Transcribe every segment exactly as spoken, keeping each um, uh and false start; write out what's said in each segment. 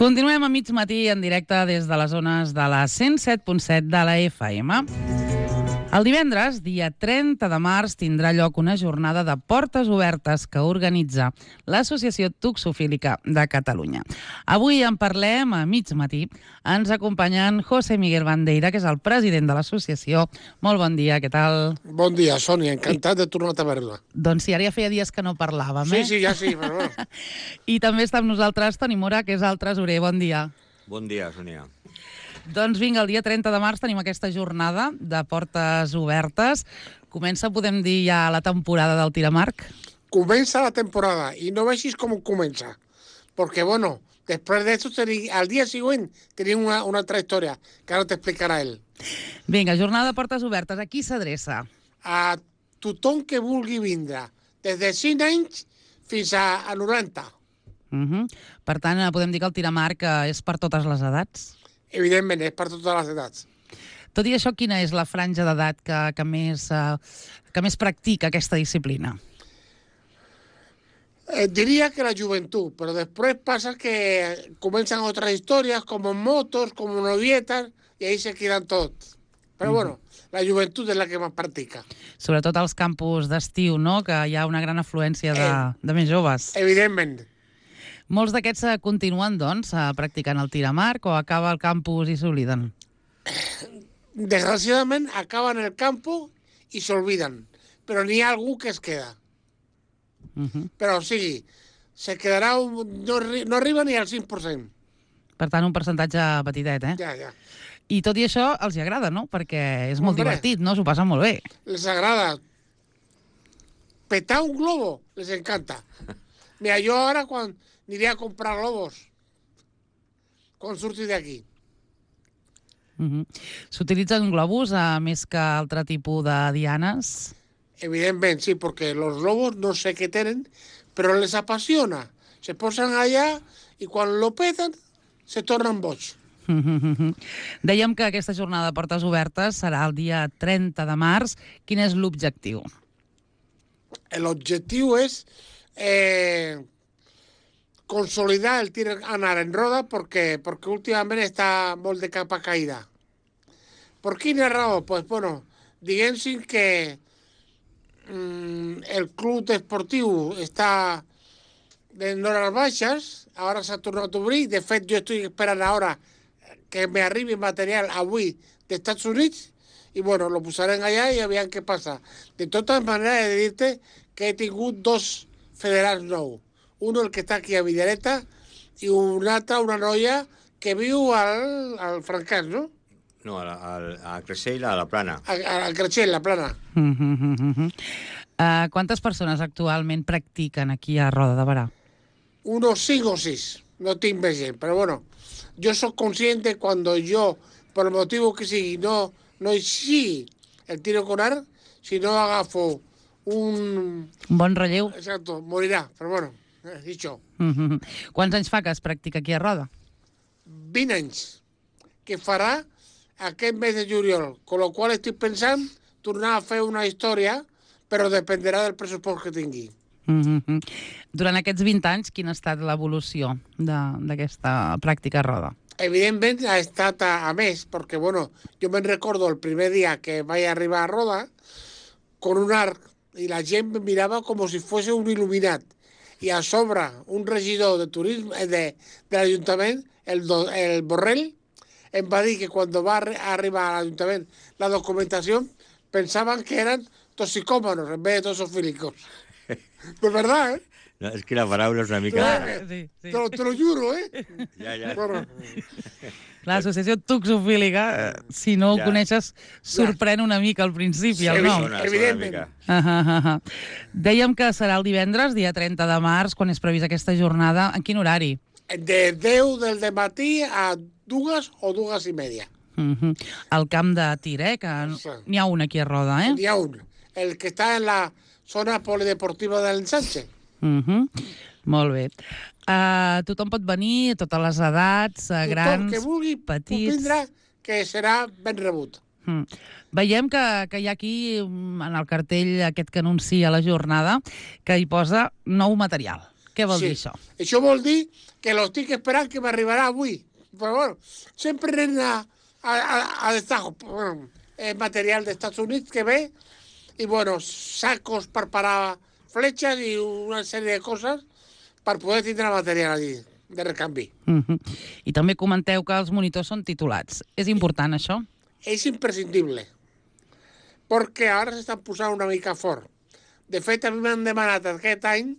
Continuem a mig matí en directe des de les zones de la cent set punt set de la F M. El divendres, dia trenta de març, tindrà lloc una jornada de portes obertes que organitza l'Associació Toxofílica de Catalunya. Avui en parlem a mig matí. Ens acompanyen José Miguel Bandeira, que és el president de l'associació. Molt bon dia, què tal? Bon dia, Sònia, encantat de tornar a veure-la. Doncs sí, ara ja feia dies que no parlàvem, Sí, eh? sí, ja sí, però bueno. I també està amb nosaltres Toni Mora, que és el tresorer. Bon dia. Bon dia, Sònia. Doncs vinga, el dia trenta de març tenim aquesta jornada de portes obertes. Comença, podem dir, ja la temporada del tiramarc? Comença la temporada i no vegis com comença. Perquè, bueno, després d'això, al dia següent tenim una, una altra història que ara t'explicarà ell. Vinga, jornada de portes obertes. A qui s'adreça? A tothom que vulgui vindre, des de cinc anys fins a, a noranta. Uh -huh. Per tant, podem dir que el tiramarc és per totes les edats? Evidentment, és per totes les edats. Tot i això, quina és la franja d'edat que, que, més, uh, que més practica aquesta disciplina? Eh, diria que la joventut, però després passa que comencen altres històries, com motos, com novietes, i ahí se quedan tots. Però, mm. bueno, la joventut és la que més practica. Sobretot als campus d'estiu, no?, que hi ha una gran afluència de, eh, de més joves. Evidentment. Molts d'aquests continuen, doncs, practicant el tiramarc o acaba el campus i s'obliden? Desgraciadament, acaben el campus i s'olviden, però n'hi ha algú que es queda. Uh -huh. Però, o sigui, se quedarà un, no, no arriba ni al cinc per cent. Per tant, un percentatge petitet, eh? Ja, ja. I tot i això els hi agrada, no? Perquè és molt Hombre, divertit, no? S'ho passen molt bé. Les agrada. Petar un globo les encanta. Mira, jo ara quan aniré a comprar globos, quan surti d'aquí. Uh -huh. S'utilitzen globus a més que altre tipus de dianes? Evidentment, sí, perquè los globos no sé què tenen, però les apasiona. Se posen allà i quan lo peten se tornen boig. Dèiem que aquesta jornada de portes obertes serà el dia trenta de març. Quin és l'objectiu? L'objectiu és eh, consolidar el tir anar en roda perquè, perquè últimament està molt de capa caïda. Per quina raó? Pues, bueno, diguem-si que mm, el club esportiu està en hores baixes, ara s'ha tornat a obrir, de fet jo estic esperant ara que me arribi material avui d'Estats Units i bueno, lo posarem allà i aviam què passa. De totes maneres, he de dir-te que he tingut dos federals nous. Uno, el que està aquí a Villareta, i un altre, una noia que viu al, al Francàs, no? No, a, a, a Creixell, a la Plana. A, a Creixell, la Plana. Uh -huh. uh, quantes persones actualment practiquen aquí a Roda de Berà? Unos cinc o sis. No tinc més gent, però bueno, jo soc conscient que quan jo, per el motiu que sigui, no, no sigui el tiro con arc, si no agafo un... Un bon relleu. Exacto, morirà, però bueno, eh, dicho. Uh -huh. Quants anys fa que es practica aquí a Roda? vint anys, que farà aquest mes de juliol, con lo qual estic pensant tornar a fer una història, però dependrà del pressupost que tingui. Uh -huh. Durant aquests vint anys, quina ha estat l'evolució d'aquesta pràctica a Roda? Evidentment ha estat a, a més, perquè bueno, jo me'n recordo el primer dia que vaig arribar a Roda con un arc i la gent me mirava com si fos un il·luminat. I a sobre, un regidor de turisme de, de l'Ajuntament, el, do, el Borrell, em va dir que quan va arribar a l'Ajuntament la documentació pensaven que eren toxicòmanos en vez de tosofílicos. Pues verdad, ¿eh? No, és que la paraula és una mica... Eh, sí, sí. Te, lo, te lo juro, ¿eh? Ja, ja. Bueno. L'associació toxofílica, si no ho ja. coneixes, sorprèn una mica al principi, sí, el nom. Sona, evidentment. sona Uh -huh. Dèiem que serà el divendres, dia trenta de març, quan és prevista aquesta jornada. En quin horari? De deu del dematí a dues o dues i media. Uh -huh. El camp de tir, eh? Que n'hi ha un aquí a Roda, eh? N'hi ha un. El que està en la zona polideportiva de l'Ensanche. Uh -huh. Molt bé. Uh, tothom pot venir, totes les edats, uh, grans, tothom que vulgui petits... vindre, que serà ben rebut. Mm. Veiem que, que hi ha aquí, en el cartell aquest que anuncia la jornada, que hi posa nou material. Què vol Sí. dir això? Això vol dir que lo estic esperant que m'arribarà avui. Però bueno, sempre anem a, a, a, a destajo. Bueno, és material dels Estats Units que ve i, bueno, sacos per parar fletxes i una sèrie de coses per poder tindre material allí de recanvi. Uh -huh. I també comenteu que els monitors són titulats. És important, això? És imprescindible, perquè ara s'estan posant una mica fort. De fet, a mi m'han demanat aquest any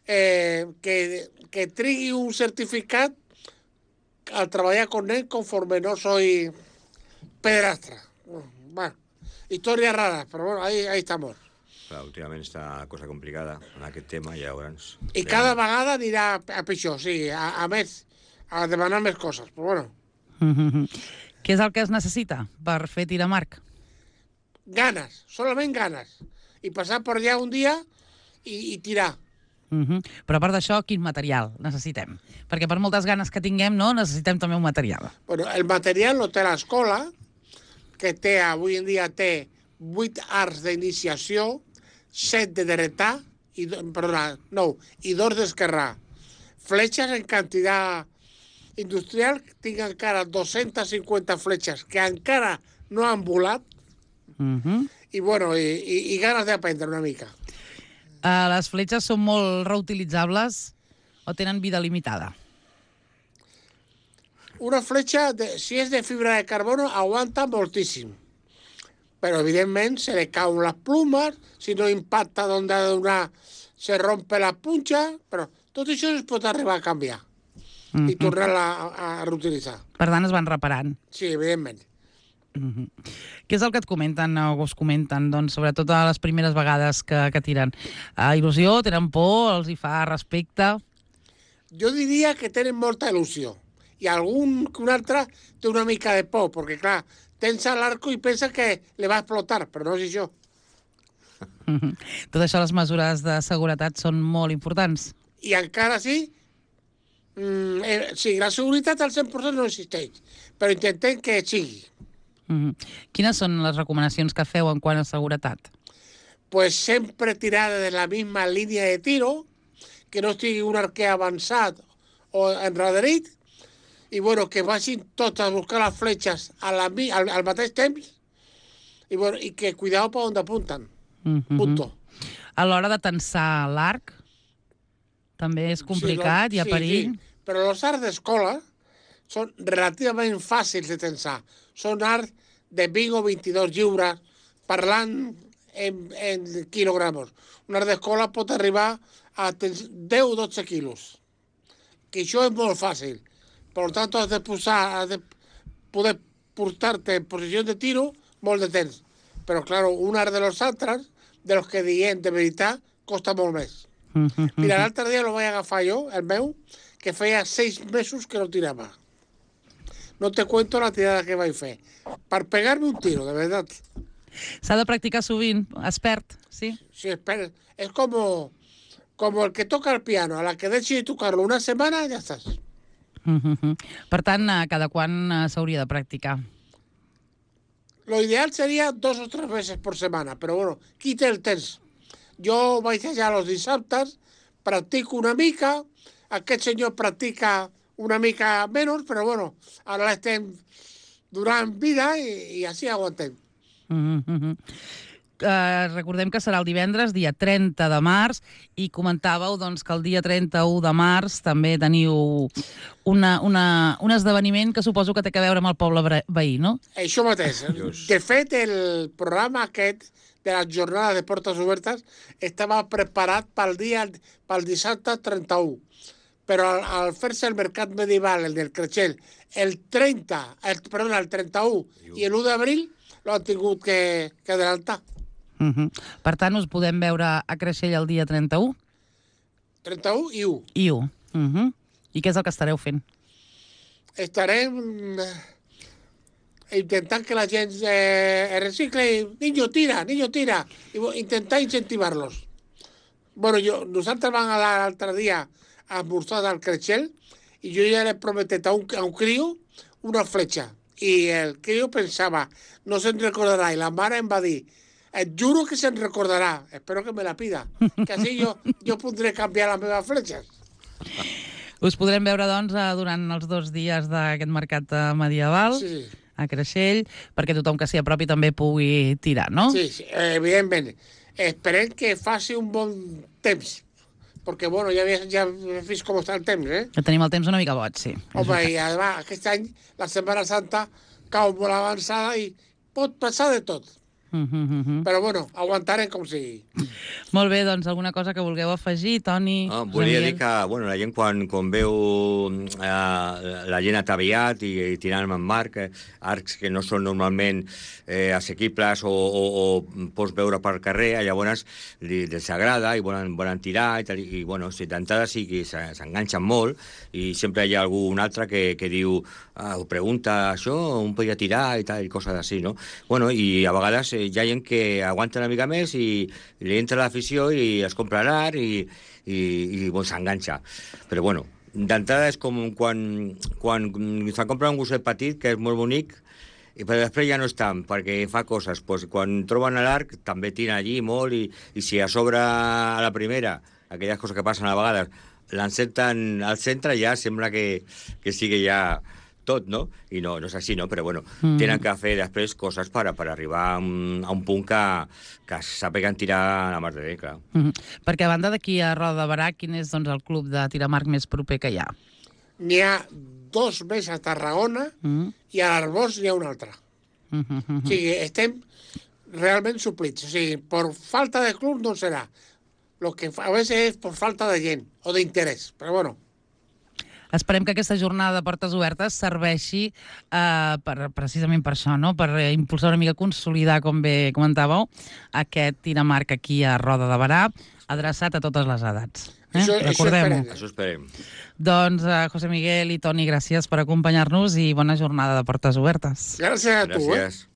eh, que, que trigui un certificat al treballar con él conforme no soy pederastra. Bueno, historias raras, però bueno, ahí, ahí estamos. Clar, últimament està la cosa complicada en aquest tema, ja veuràs. I cada vegada anirà a pitjor, sí, a, a més, a demanar més coses, però bueno. Uh -huh. Què és el que es necessita per fer tir amb arc? Ganes, solament ganes. I passar per allà un dia i, i tirar. Uh -huh. Però a part d'això, quin material necessitem? Perquè per moltes ganes que tinguem, no, necessitem també un material. Bueno, el material lo té l'escola, que té, avui en dia té vuit arts d'iniciació, set de dretar, i, perdona, no, i dos d'esquerrà. Fletxes en quantitat industrial, tinc encara dos-centes cinquanta fletxes que encara no han volat, Uh -huh. i, bueno, i, i, i ganes d'aprendre una mica. Uh, les fletxes són molt reutilitzables o tenen vida limitada? Una fletxa, de, si és de fibra de carbono, aguanta moltíssim. Però, evidentment, se le cauen les plumes, si no impacta on ha de donar, se rompe la punxa, però tot això es pot arribar a canviar uh -huh. i tornar-la a, a reutilitzar. Per tant, es van reparant. Sí, evidentment. Uh -huh. Què és el que et comenten o us comenten, doncs, sobretot a les primeres vegades que, que tiren? Uh, il·lusió, tenen por, els hi fa respecte? Jo diria que tenen molta il·lusió i algun que un altre té una mica de por, perquè, clar, tensa l'arco i pensa que le va a explotar, però no és això. Uh -huh. Tot això, les mesures de seguretat són molt importants. I encara sí, mm, eh, sí, la seguretat al cent per cent no existeix, però intentem que sigui. Uh -huh. Quines són les recomanacions que feu en quant a seguretat? Pues sempre tirar de la misma línia de tiro, que no estigui un arquer avançat o enrederit, i bueno, que vagin tots a buscar les fletxes a la, al, al mateix temps, i, bueno, i que cuidado per on apunten. Uh -huh. Punto. A l'hora de tensar l'arc, també és complicat, sí, hi ha sí, perill. Sí. Però els arts d'escola són relativament fàcils de tensar. Són arts de vint o vint-i-dos lliures, parlant en, en quilogramos. Un art d'escola pot arribar a deu o dotze quilos. Que això és molt fàcil. Per tant, has de, posar, has de poder portar-te en posició de tiro molt de temps. Però, clar, un art de los altres, de los que diem de veritat, costa molt més. Uh -huh. Mira, l'altre dia lo vaig agafar jo, el meu, que feia seis mesos que no tirava. No te cuento la tirada que vaig fer. Per pegar-me un tiro, de veritat. S'ha de practicar sovint, es perd, sí? Sí, espera. És com, com el que toca el piano. A la que deixi de tocar-lo una setmana, ja estàs. Uh -huh. Per tant, a cada quan uh, s'hauria de practicar? Lo ideal seria dos o tres veces por semana, però bueno, qui té el temps? Jo vaig allà els dissabtes, practico una mica, aquest senyor practica una mica menys, però bueno, ara l'estem donant vida i, i així aguantem. Uh -huh. Uh, recordem que serà el divendres, dia trenta de març, i comentàveu doncs, que el dia trenta-u de març també teniu una, una, un esdeveniment que suposo que té a veure amb el poble veí, no? Això mateix. De fet, el programa aquest de les jornades de portes obertes estava preparat pel dia pel dissabte trenta-u. Però al, al fer-se el mercat medieval, el del Creixell, el trenta, el, perdona, el trenta-u i l'u d'abril lo han tingut que, que adelantar. Uh -huh. Per tant, us podem veure a Creixell el dia trenta-u? trenta-u i u. I u. Uh -huh. I què és el que estareu fent? Estarem eh, intentant que la gent eh, recicle. Niño, tira, niño, tira. I intentar incentivar-los. Bueno, jo, nosaltres vam anar l'altre dia a esmorzar al Creixell i jo ja l'he prometet a un, a un crio una fletxa. I el crio pensava, no se'n recordarà, i la mare em va dir, Et juro que se'n recordarà. Espero que me la pida. Que així jo, jo podré canviar les meves fletxes. Us podrem veure, doncs, eh, durant els dos dies d'aquest mercat eh, medieval Sí, sí. a Creixell, perquè tothom que s'hi apropi també pugui tirar, no? Sí, sí, evidentment. Esperem que faci un bon temps. Perquè, bueno, ja, ve- ja he vist com està el temps, eh? Que tenim el temps una mica boig, sí. Home, i además, aquest any, la Setmana Santa cau molt avançada i pot passar de tot. Mm -hmm. Però, bueno, aguantarem com sigui. Molt bé, doncs alguna cosa que vulgueu afegir, Toni? Ah, José volia Miguel? dir que bueno, la gent quan, quan veu eh, la gent ataviat i, i tirant amb arc, eh, arcs que no són normalment eh, assequibles o, o, o pots veure per carrer, llavors li, els agrada i volen, volen tirar i, tal, i bueno, si d'entrada sí que se- s'enganxen molt i sempre hi ha algun altre que, que diu ah, ho pregunta això, on podria tirar i tal, i coses així, no? Bueno, i a vegades eh, hi ha gent que aguanta una mica més i, i li entra l'afició i es compra l'art i, i, i bon, s'enganxa. Però bueno, d'entrada és com quan, quan se'n compra un gosset petit, que és molt bonic, i però després ja no és tant, perquè fa coses. Pues, quan troben l'arc, també tira allí molt, i, i si a sobre a la primera, aquelles coses que passen a vegades, l'encerten al centre, ja sembla que, que sigui ja tot, no? I no, no és així, no? Però, bueno, mm. tenen que fer després coses per, per arribar a un, a un punt que, que sàpiguen tirar a la mar de bé, clar. Mm -hmm. Perquè a banda d'aquí a Roda de Barà, quin és doncs, el club de tir amb arc més proper que hi ha? N'hi ha dos més a Tarragona Mm -hmm. i a l'Arbós n'hi ha un altre. Mm -hmm. O sigui, estem realment suplits. O sigui, per falta de club no serà. Lo que a veces és per falta de gent o d'interès. Però, bueno, Esperem que aquesta jornada de portes obertes serveixi eh, per, precisament per això, no? Per eh, impulsar una mica, consolidar, com bé comentàveu, aquest tir amb arc aquí a Roda de Barà, adreçat a totes les edats. Eh? Això- això Recordem-ho. esperem. Això esperem. Doncs, eh, José Miguel i Toni, gràcies per acompanyar-nos i bona jornada de portes obertes. gràcies a tu, eh? Gràcies.